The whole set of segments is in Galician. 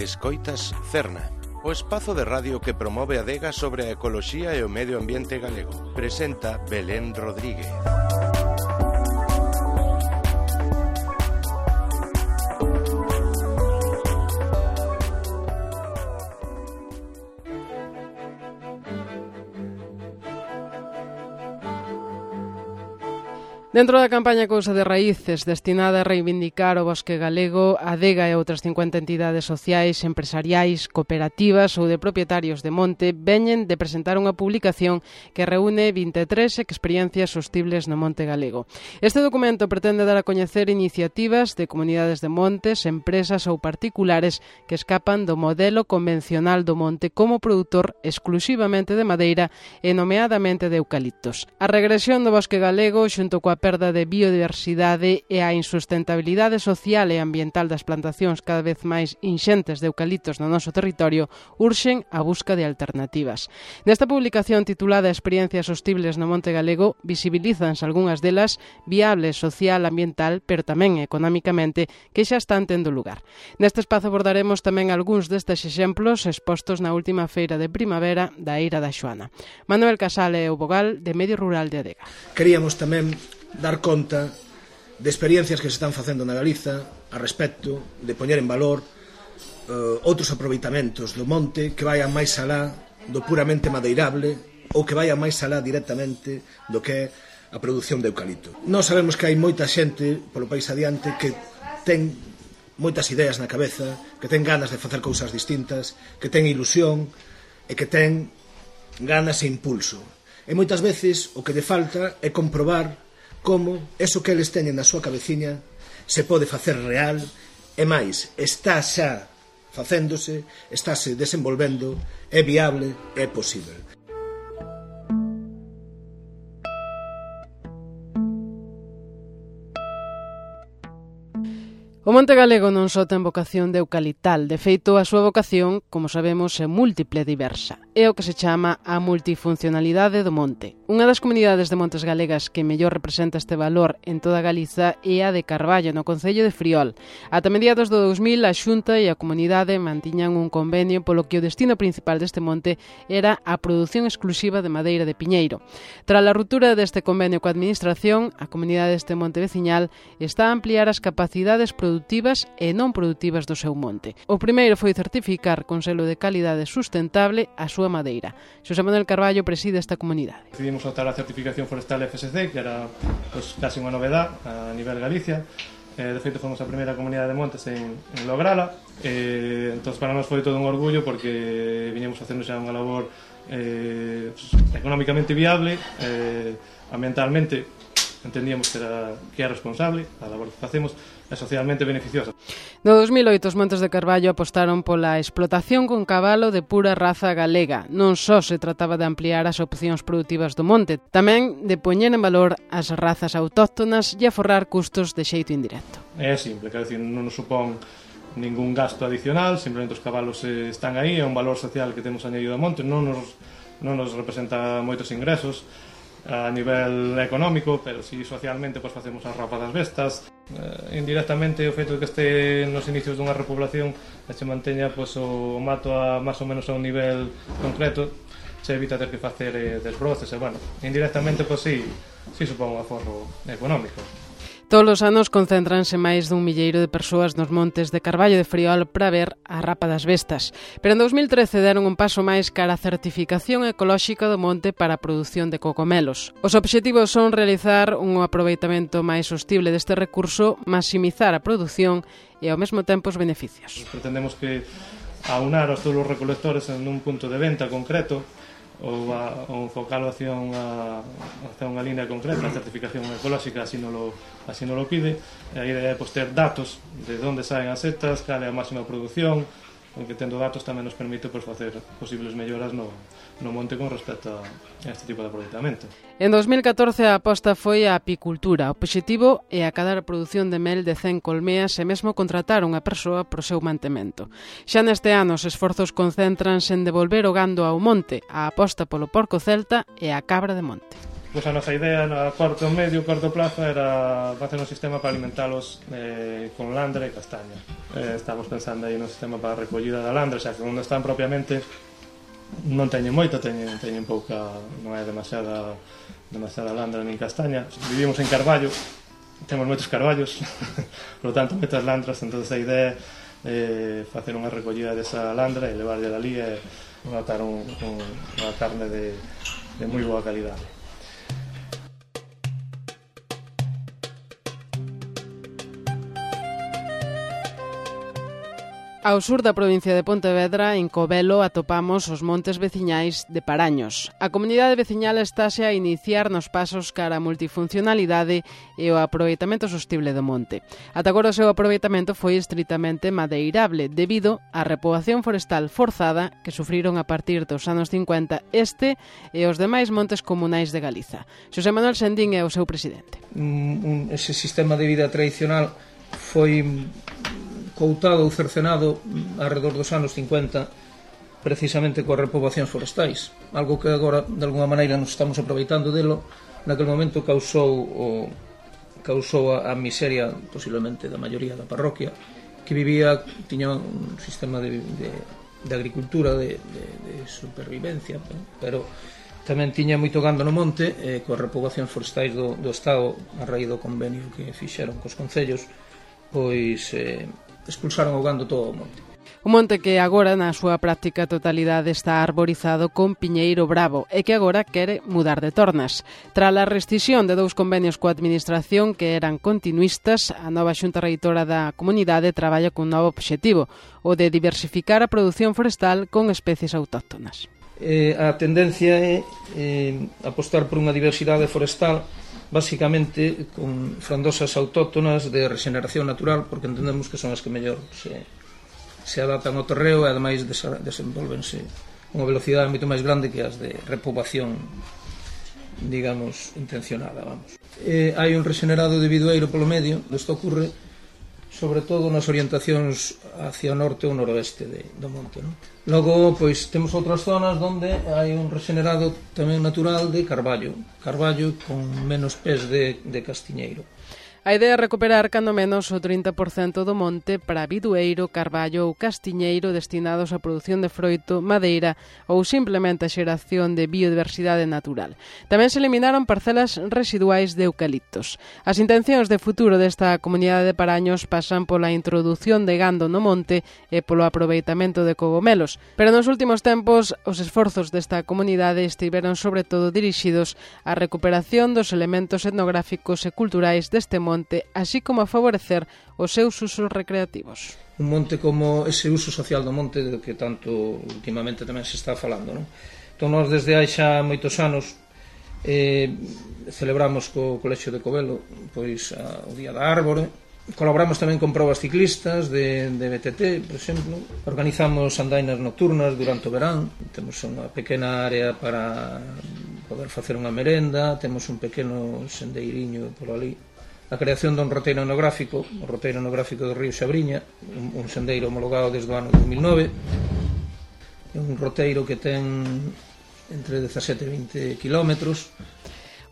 Escoitas Cerna, o espazo de radio que promove a adega sobre a ecoloxía e o medio ambiente galego. Presenta Belén Rodríguez. Dentro da campaña Cousa de Raíces, destinada a reivindicar o bosque galego, a adega e outras 50 entidades sociais, empresariais, cooperativas ou de propietarios de monte veñen de presentar unha publicación que reúne 23 experiencias sostibles no monte galego. Este documento pretende dar a coñecer iniciativas de comunidades de montes, empresas ou particulares que escapan do modelo convencional do monte como produtor exclusivamente de madeira e nomeadamente de eucaliptos. A regresión do bosque galego xunto coa perda de biodiversidade e a insustentabilidade social e ambiental das plantacións cada vez máis inxentes de eucaliptos no noso territorio urxen a busca de alternativas. Nesta publicación titulada Experiencias sostibles no monte galego visibilízanse algunhas delas viables social, ambiental, pero tamén económicamente que xa están tendo lugar. Neste espazo abordaremos tamén algúns destes exemplos expostos na última feira de primavera da Eira da Xoana. Manuel Casal é o vogal de Medio Rural de Adega. Queríamos tamén dar conta de experiencias que se están facendo na Galiza a respecto de poñer en valor outros aproveitamentos do monte que vayan máis alá do puramente madeirable ou que vayan máis alá directamente do que é a produción de eucalipto. Nós sabemos que hai moita xente polo país adiante que ten moitas ideas na cabeza, que ten ganas de facer cousas distintas, que ten ilusión e que ten ganas e impulso. E moitas veces o que lle falta é comprobar como eso que eles teñen na súa cabeciña se pode facer real e máis, está xa facéndose, estáse desenvolvendo, é viable, é posible. O monte galego non só ten vocación de eucaliptal, de feito a súa vocación, como sabemos, é múltiple e diversa. É o que se chama a multifuncionalidade do monte. Unha das comunidades de montes galegas que mellor representa este valor en toda Galiza é a de Carballo, no concello de Friol. Ata mediados do 2000, a Xunta e a comunidade mantiñan un convenio polo que o destino principal deste monte era a produción exclusiva de madeira de piñeiro. Tras a ruptura deste convenio coa administración, a comunidade deste monte veciñal está a ampliar as capacidades produtivas e non produtivas do seu monte. O primeiro foi certificar con selo de calidade sustentable a súa madeira. Xosé Manuel Carballo preside esta comunidade. Decidimos optar a certificación forestal FSC, que era casi unha novedad a nivel Galicia. De feito, fomos a primeira comunidade de montes en lograla. Entón, para nós foi todo un orgullo porque viñemos facendo xa unha labor económicamente viable, ambientalmente entendíamos que é responsable a labor que facemos e socialmente beneficiosa. No 2008 os Montes de Carballo apostaron pola explotación con cabalo de pura raza galega. Non só se trataba de ampliar as opcións produtivas do monte, tamén de poñer en valor as razas autóctonas e aforrar custos de xeito indirecto. É simple, quero dicir, non nos supón ningún gasto adicional, simplemente os cabalos están aí, é un valor social que temos añadido ao monte, non nos representa moitos ingresos a nivel económico, pero si socialmente pues facemos a rapa das bestas. Indirectamente o feito de que este nos inicios dunha repoblación e se manteña pues, o mato a máis ou menos a un nivel concreto, se evita ter que facer desbroces e bueno, indirectamente pues sí supón un aforro económico. Todos os anos concéntranse máis dun milleiro de persoas nos montes de Carballo de Friol para ver a rapa das bestas. Pero en 2013 deron un paso máis cara a certificación ecolóxica do monte para a produción de cocomelos. Os obxectivos son realizar un aproveitamento máis sostible deste recurso, maximizar a produción e ao mesmo tempo os beneficios. Pretendemos que aunar os todos os recolectores en un punto de venta concreto ou enfocalo hacia unha línea concreta, a certificación ecolóxica así non lo pide. A idea é ter datos de onde saen as setas, cal é a máxima produción, porque tendo datos tamén nos permite facer posibles melloras no monte con respecto a este tipo de aproveitamento. En 2014 a aposta foi a apicultura. O obxectivo é acadar a produción de mel de 100 colmeas e mesmo contratar unha persoa para o seu mantemento. Xa neste ano os esforzos concéntranse en devolver o gando ao monte, a aposta polo porco celta e a cabra de monte. Pois a nosa idea a corto plazo era facer un sistema para alimentalos con landra e castaña. Estamos pensando aí nun sistema para a recollida da landra, xa que onde están propiamente non teñen moito, teñen pouca, non é demasiada landra nin castaña. Vivimos en Carballo, temos moitos carballos, por lo tanto moitas landras, entón a idea é facer unha recollida desa landra e levarlle dali e notar unha carne de moi boa calidade. Ao sur da provincia de Pontevedra, en Covelo, atopamos os montes veciñais de Paraños. A comunidade veciñal estáse a iniciar nos pasos cara a multifuncionalidade e o aproveitamento sostible do monte. Ata agora o seu aproveitamento foi estritamente madeirable debido á repoboación forestal forzada que sufriron a partir dos anos 50 este e os demais montes comunais de Galiza. Xosé Manuel Sendín é o seu presidente. Ese sistema de vida tradicional foi coutado ou cercenado alrededor dos anos 50 precisamente coas repoboacións forestais, algo que agora de alguma maneira nos estamos aproveitando delo. Naquele momento causou a miseria posiblemente da maioría da parroquia, que tiña un sistema de agricultura de supervivencia, pero tamén tiña moito gando no monte, coas repoboacións forestais do Estado a raíz do convenio que fixeron cos concellos, pois expulsaron o gando todo o monte. Un monte que agora, na súa práctica totalidade, está arborizado con piñeiro bravo e que agora quere mudar de tornas. Tras a rescisión de 2 convenios coa administración que eran continuistas, a nova xunta reitora da comunidade traballa cun novo obxectivo, o de diversificar a produción forestal con especies autóctonas. A tendencia é apostar por unha diversidade forestal basicamente con frondosas autóctonas de regeneración natural, porque entendemos que son as que mellor se adaptan ao terreo e ademais desenvolvense unha velocidade moito máis grande que as de repoboación, digamos, intencionada, vamos. Hai un regenerado de bidueiro polo medio, isto ocorre sobre todo nas orientacións hacia o norte ou noroeste do monte, non? Logo, pois, temos outras zonas onde hai un regenerado tamén natural de carballo con menos pés de castiñeiro. A idea é recuperar cando menos o 30% do monte para bidueiro, carballo ou castiñeiro destinados á produción de froito, madeira ou simplemente a xeración de biodiversidade natural. Tamén se eliminaron parcelas residuais de eucaliptos. As intencións de futuro desta comunidade de Paraños pasan pola introdución de gando no monte e polo aproveitamento de cogomelos, pero nos últimos tempos os esforzos desta comunidade estiveron sobre todo dirixidos á recuperación dos elementos etnográficos e culturais deste monte, así como a favorecer os seus usos recreativos. Un monte como ese uso social do monte do que tanto últimamente tamén se está falando, non? Entón, nós desde hai xa moitos anos celebramos co Colexio de Covelo pois o Día da Árbore. Colaboramos tamén con probas ciclistas de BTT, por exemplo. Organizamos andainas nocturnas durante o verán. Temos unha pequena área para poder facer unha merenda. Temos un pequeno sendeiriño por ali. A creación dun roteiro etnográfico, o roteiro etnográfico do Río Xabriña, un sendeiro homologado desde o ano 2009. É un roteiro que ten entre 17 e 20 kilómetros.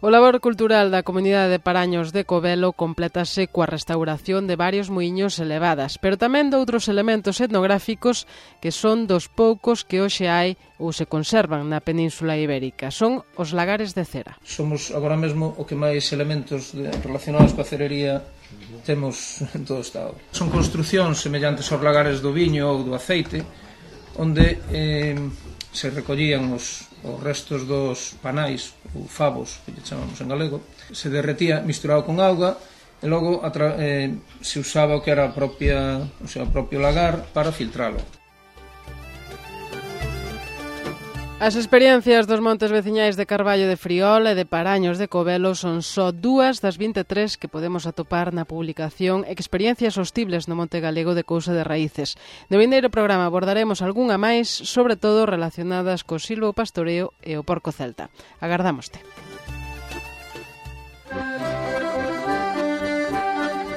O labor cultural da comunidade de Paraños de Covelo complétase coa restauración de varios muiños elevadas, pero tamén de outros elementos etnográficos que son dos poucos que hoxe hai ou se conservan na Península Ibérica. Son os lagares de cera. Somos agora mesmo o que máis elementos relacionados coa cerería temos en todo o Estado. Son construcións semellantes aos lagares do viño ou do aceite, onde se recollían os restos dos panais ou favos, que lle chamamos en galego, se derretía misturado con auga e logo se usaba o que era o propio lagar para filtralo. As experiencias dos montes veciñais de Carballo de Friol e de Paraños de Covelo son só 2 das 23 que podemos atopar na publicación Experiencias hostibles no Monte Galego de Cousa de Raíces. No vindeiro programa abordaremos algunha máis, sobre todo relacionadas co silvopastoreo e o porco celta. Agardámoste.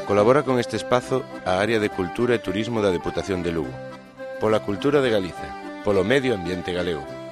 Colabora con este espazo a Área de Cultura e Turismo da Deputación de Lugo. Pola cultura de Galiza, polo medio ambiente galego.